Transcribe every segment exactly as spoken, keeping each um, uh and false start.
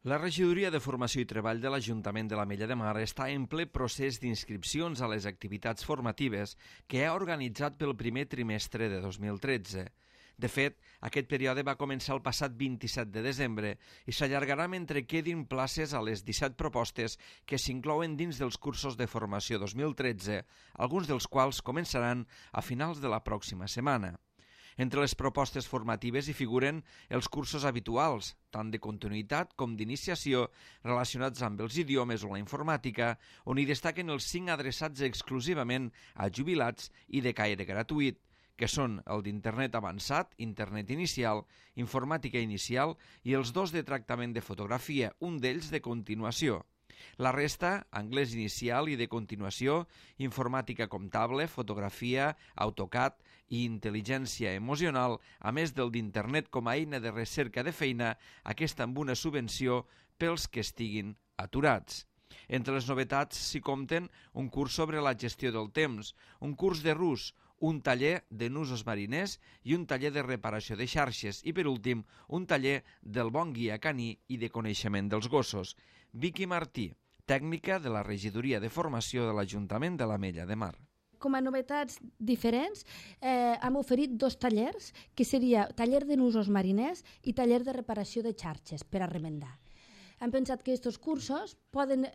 La Regidoria de Formació i Treball de l'Ajuntament de l'Ametlla de Mar està en ple procés d'inscripcions a les activitats formatives que ha organitzat pel primer trimestre de dos mil tretze. De fet, aquest període va començar el passat vint-i-set de desembre i s'allargarà mentre quedin places a les disset propostes que s'inclouen dins dels cursos de formació dos mil tretze, alguns dels quals començaran a finals de la pròxima setmana. Entre les propostes formatives hi figuren els cursos habituals, tant de continuïtat com d'iniciació, relacionats amb els idiomes o la informàtica, on hi destaquen els cinc adreçats exclusivament a jubilats i de caire gratuït, que són el d'Internet avançat, Internet inicial, Informàtica inicial i els dos de tractament de fotografia, un d'ells de continuació. La resta, anglès inicial i de continuació, informàtica comptable, fotografia, AutoCAD i intel·ligència emocional, a més del d'Internet com a eina de recerca de feina, aquesta amb una subvenció pels que estiguin aturats. Entre les novetats s'hi compten un curs sobre la gestió del temps, un curs de rus, un taller de nusos mariners i un taller de reparació de xarxes i, per últim, un taller del bon guia caní i de coneixement dels gossos. Vicky Martí, tècnica de la Regidoria de Formació de l'Ajuntament de l'Ametlla de Mar. Com a novetats diferents, eh, hem oferit dos tallers, que seria taller de nusos mariners i taller de reparació de xarxes per a remendar. Hem pensat que aquests cursos poden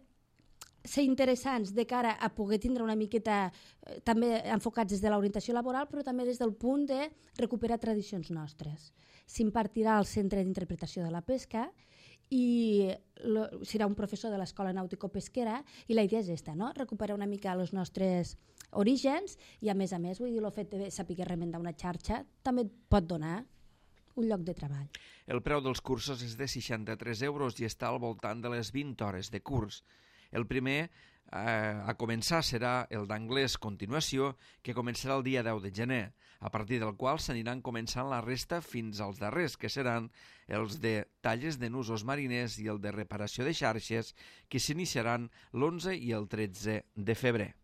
ser interessants de cara a poder tindre una miqueta eh, també enfocats des de l'orientació laboral, però també des del punt de recuperar tradicions nostres. S'impartirà al Centre d'Interpretació de la Pesca i lo, serà un professor de l'Escola Nàutico-Pesquera i la idea és esta, no? Recuperar una mica els nostres orígens i, a més a més, vull dir, el fet de saber remendar una xarxa també pot donar un lloc de treball. El preu dels cursos és de seixanta-tres euros i està al voltant de les vint hores de curs. El primer eh, a començar serà el d'anglès continuació, que començarà el dia deu de gener, a partir del qual s'aniran començant la resta fins als darrers, que seran els de talles de nusos mariners i el de reparació de xarxes, que s'iniciaran l'onze i el tretze de febrer.